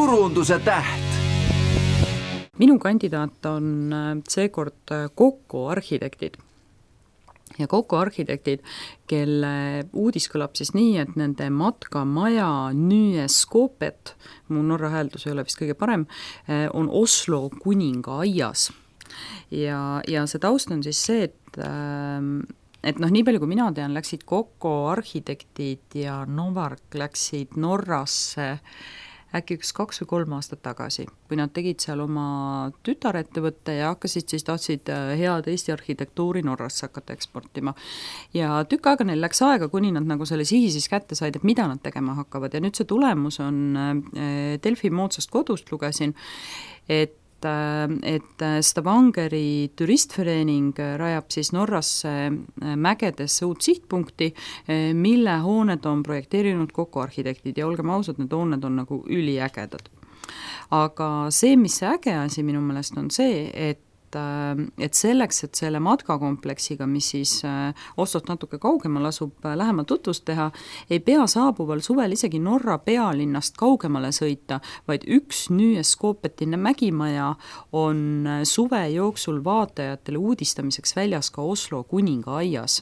turunduse täht. Minu kandidaat on seekord Kokko arhitektid. Ja Kokko arhitektid, kelle uudis kõlab siis nii, et nende matkamaja Nyeskopet, mu norra hääldus ei ole vist kõige parem, on Oslo kuninga aias. Ja see taust on siis see, et nii palju kui mina tean, läksid Kokko arhitektid ja Novark läksid Norrasse äkki 2 või 3 aastat tagasi, kui nad tegid seal oma tütarettevõtte ja tahtsid head Eesti arhitektuuri Norrasse hakata eksportima. Ja tükk aega neil läks aega, kuni nad nagu selle sihi siis kätte said, et mida nad tegema hakkavad. Ja nüüd see tulemus on Delfi moodsast kodust lugesin, et Stavangeri turistverening rajab siis Norrasse mägedesse uut sihtpunkti, mille hooned on projekteerinud Kokko arhitektid ja olgem ausad, need hooned on nagu üliägedad. Aga see, mis see äge asi minu meelest on see, et selleks, et selle matkakompleksiga, mis siis Oslost natuke kaugemal asub, lähemalt tutvust teha, ei pea saabuval suvel isegi Norra pealinnast kaugemale sõita, vaid üks Nyeskopetine mägimaja on suve jooksul vaatajatele uudistamiseks väljas ka Oslo kuninga aias.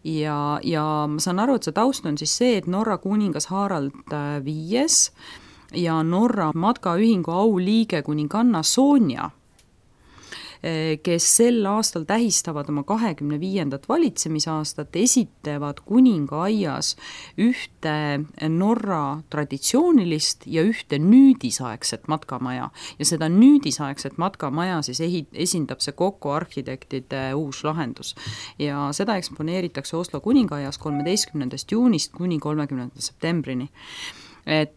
Ja ma saan aru, et see taust on siis see, et Norra kuningas Harald V ja Norra matkaühingu auliige kuninganna Sonja, kes sel aastal tähistavad oma 25. valitsemisaastat, esitavad kuninga aias ühte Norra traditsioonilist ja ühte nüüdisaegset matkamaja. Ja seda nüüdisaegset matkamaja siis esindab see Kokko arhitektide uus lahendus. Ja seda eksponeeritakse Oslo kuninga aias 13. juunist kuni 30. septembrini. Et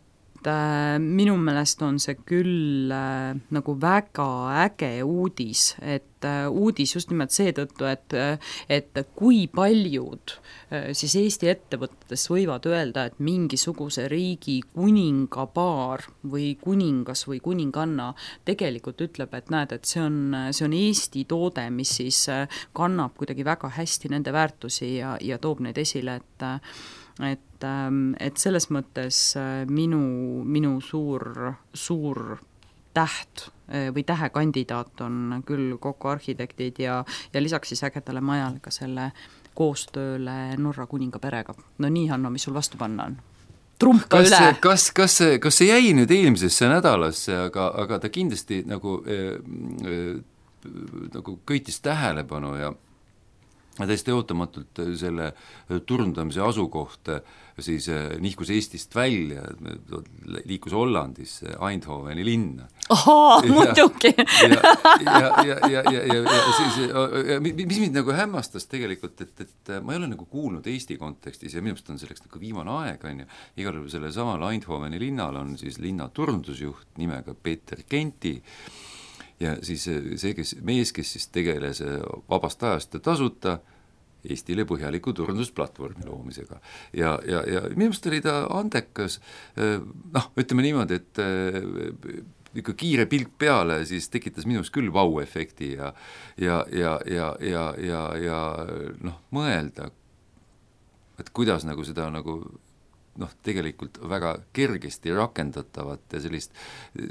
minu meelest on see küll nagu väga äge uudis, et uudis just nimelt seetõttu, et kui paljud siis Eesti ettevõtetest võivad öelda, et mingisuguse riigi kuningapaar või kuningas või kuninganna tegelikult ütleb, et näed, et see on Eesti toode, mis siis kannab kuidagi väga hästi nende väärtusi ja toob neid esile, et selles mõttes minu suur täht või tähekandidaat on küll Kokko arhitektid ja lisaks siis ägedale majale ka selle koostööle Norra kuninga perega. No nii, Hanno, mis sul vastu panna on? Trumpa üle! Kas see jäi nüüd eelmisesse nädalasse, aga ta kindlasti nagu köitis tähelepanu ja täiesti ootamatult selle turundamise asukoht siis nihkus Eestist välja, liikus Hollandisse, Eindhoveni linna. Muidugi! Mis mind nagu hämmastas tegelikult, et ma ei ole nagu kuulnud Eesti kontekstis ja minust on selleks nagu viimane aeg, on ju. Igal juhul selle samal Eindhoveni linnal on siis linna turundusjuht nimega Peeter Kenti ja siis see mees, kes siis tegeles vabast ajast ja tasuta Eestile põhjaliku turundusplatvormi loomisega. Ja minu meelest oli ta andekas, ütleme niimoodi, et ikka kiire pilk peale, siis tekitas minus küll vau-efekti ja mõelda, et kuidas nagu seda nagu tegelikult väga kergesti rakendatavat ja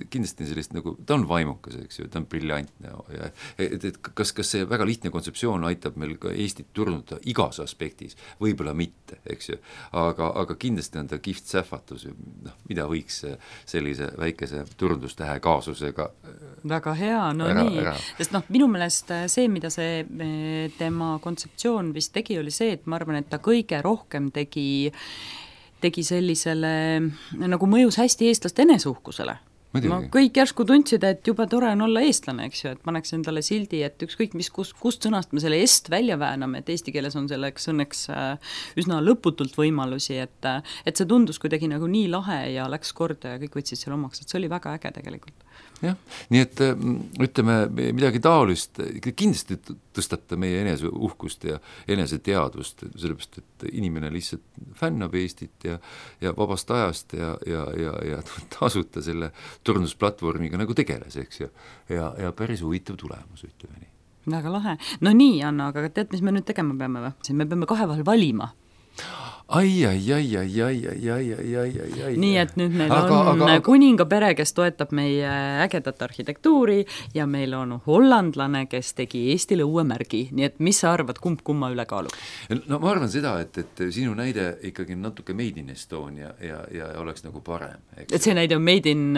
kindlasti sellist nagu, ta on vaimukas, eks ju, ta on briljantne ja et kas see väga lihtne kontseptsioon aitab meil ka Eestit turundada igas aspektis, võib-olla mitte, eks ju, aga kindlasti on ta kihvt sähvatus, mida võiks sellise väikese turundustähe kaasusega väga hea, sest minu meelest see, mida see tema kontseptsioon vist tegi, oli see, et ma arvan, et ta kõige rohkem tegi sellisele, nagu mõjus hästi eestlaste enesuhkusele. Kõik järsku tundsid, et juba tore on olla eestlane, eks ju, et paneks endale sildi, et ükskõik mis, kust sõnast me selle est välja vääname, et eesti keeles on selleks õnneks üsna lõputult võimalusi, et see tundus kuidagi nagu nii lahe ja läks korda ja kõik võtsid selle omaks, et see oli väga äge tegelikult. Jah, nii et ütleme midagi taolist, kindlasti tõstab ta meie eneseuhkust ja eneseteadvust, sellepärast, et inimene lihtsalt fännab Eestit ja vabast ajast ja tasuta selle turundusplatvormiga nagu tegeles, eks ju, ja päris huvitav tulemus, ütleme nii. Väga lahe. No nii, Anna, aga tead, mis me nüüd tegema peame või? Me peame 2 vahel valima. Nii et nüüd meil on kuningapere, kes toetab meie ägedat arhitektuuri ja meil on hollandlane, kes tegi Eestile uue märgi, nii et mis sa arvad, kumma üle kaalub? No ma arvan seda, et sinu näide ikkagi natuke Made in Estonia ja oleks nagu parem. Et see näide on Made in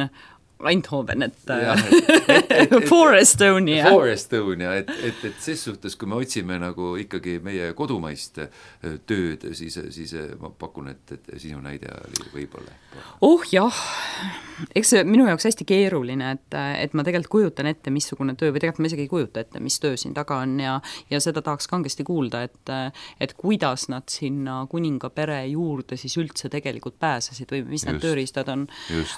Eindhoven, For Estonia. For Estonia, et ses suhtes, kui me otsime nagu ikkagi meie kodumaist tööd, siis ma pakun, et sinu näide oli võib-olla. Jah, eks see minu jaoks hästi keeruline, et ma tegelikult kujutan ette, missugune töö, või tegelikult ma isegi ei kujuta ette, mis töö siin taga on ja seda tahaks kangesti kuulda, et kuidas nad sinna kuningapere juurde siis üldse tegelikult pääsesid või mis need tööriistad on.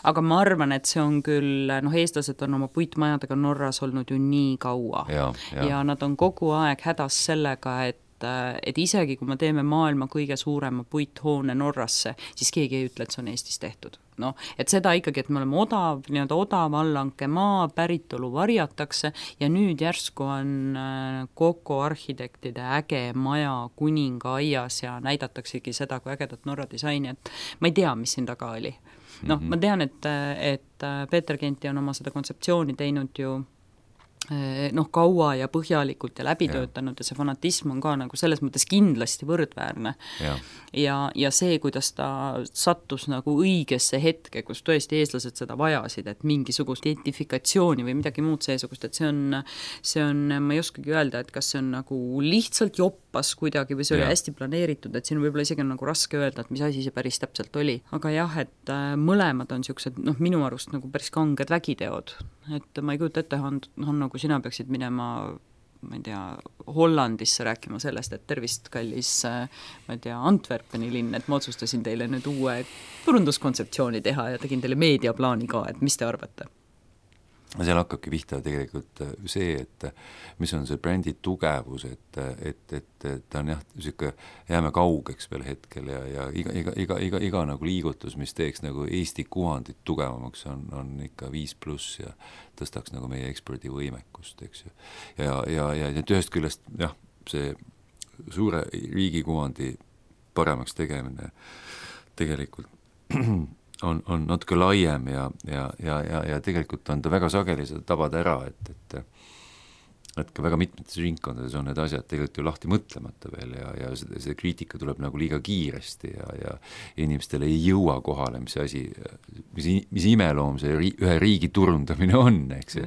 Aga ma arvan, et see on küll, eestlased on oma puitmajadega Norras olnud ju nii kaua ja nad on kogu aeg hädas sellega, et isegi kui me teeme maailma kõige suurema puithoone Norrasse, siis keegi ei ütle, et see on Eestis tehtud. Et seda ikkagi, et me oleme odav allanke maa, päritolu varjatakse ja nüüd järsku on Coco arhitektide äge maja kuningaaias ja näidataksegi seda kui ägedat Norra disaini, et ma ei tea, mis siin taga oli. Ma tean, et Peeter Genti on oma seda kontseptsiooni teinud ju kaua ja põhjalikult ja läbitöötanud ja see fanatism on ka nagu selles mõttes kindlasti võrdväärne. Ja see, kuidas ta sattus nagu õigesse hetke, kus tõesti eestlased seda vajasid, et mingisugust identifikatsiooni või midagi muud seesugust, et see on, ma ei oskagi öelda, et kas see on nagu lihtsalt joppas kuidagi või see oli hästi planeeritud, et siin võib-olla isegi on nagu raske öelda, et mis asi see päris täpselt oli. Aga et mõlemad on siuksed, minu arust nagu päris kanged vägiteod, et ma ei kujuta ette, kui sina peaksid minema, ma ei tea, Hollandisse rääkima sellest, et tervist kallis, ma ei tea, Antwerpeni linn, et ma otsustasin teile nüüd uue turunduskontseptsiooni teha ja tegin teile meediaplaani ka, et mis te arvate? Seal hakkabki pihta tegelikult see, et mis on see brändi tugevus, et ta on jääme kaugeks veel hetkel ja iga nagu liigutus, mis teeks nagu Eesti kuvandit tugevamaks, on ikka 5+ ja tõstaks nagu meie ekspordivõimekust, eks ju. Ja ühest küljest, see suure riigikuvandi paremaks tegemine tegelikult on natuke laiem ja tegelikult on ta väga sageli seda tabada ära, et ka väga mitmetes ringkondades on need asjad tegelikult ju lahti mõtlemata veel ja see kriitika tuleb nagu liiga kiiresti ja inimestele ei jõua kohale, mis asi, mis imeloom see ühe riigi turundamine on, eks ju.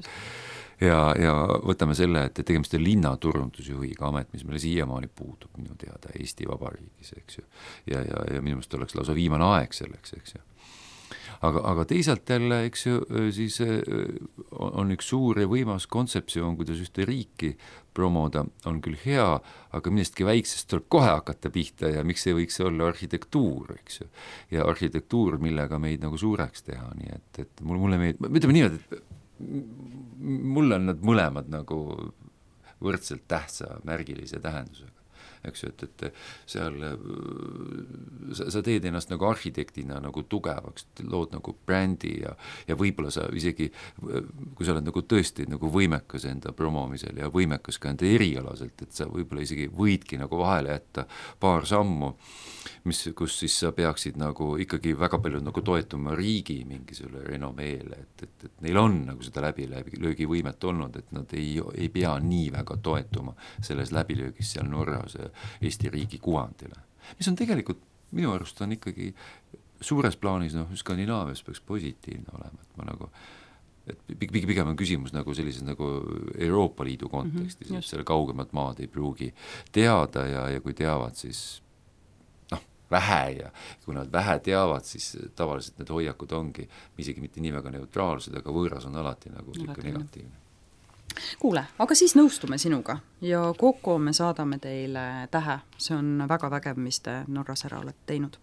Ja võtame selle, et tegemist on linnaturundusjuhiga amet, mis meile siiamaani puudub minu teada Eesti Vabariigis, eks ju. Ja minu meelest oleks lausa viimane aeg selleks, eks ju. Aga teisalt jälle, eks ju, siis on üks suur ja võimas kontseptsioon, kuidas ühte riiki promoda on küll hea, aga millestki väiksest tuleb kohe hakata pihta ja miks ei võiks olla arhitektuur, eks ju. Ja arhitektuur, millega meid nagu suureks teha, nii et mulle meid, ütleme niimoodi, et mulle on nad mõlemad nagu võrdselt tähtsa märgilise tähendusega. Eks ju, et seal sa teed ennast nagu arhitektina nagu tugevaks, lood nagu brändi ja võib-olla sa isegi, kui sa oled nagu tõesti nagu võimekas enda promomisel ja võimekas ka enda erialaselt, et sa võib-olla isegi võidki nagu vahele jätta paar sammu, kus siis sa peaksid nagu ikkagi väga palju nagu toetuma riigi mingisugune renomeele, et neil on nagu seda läbilöögivõimet olnud, et nad ei pea nii väga toetuma selles läbilöögis seal Norras Eesti riigi kuvandile. Mis on tegelikult, minu arust on ikkagi suures plaanis, Skandinaavias peaks positiivne olema, et ma nagu, et pigem on küsimus nagu sellises nagu Euroopa Liidu kontekstis, et selle kaugemat maad ei pruugi teada ja kui teavad, siis vähe ja kui nad vähe teavad, siis tavaliselt need hoiakud ongi isegi mitte nii väga neutraalsed, aga võõras on alati nagu negatiivne. Kuule, aga siis nõustume sinuga ja Coco me saadame teile tähe, see on väga vägev, mis te Norras ära olete teinud.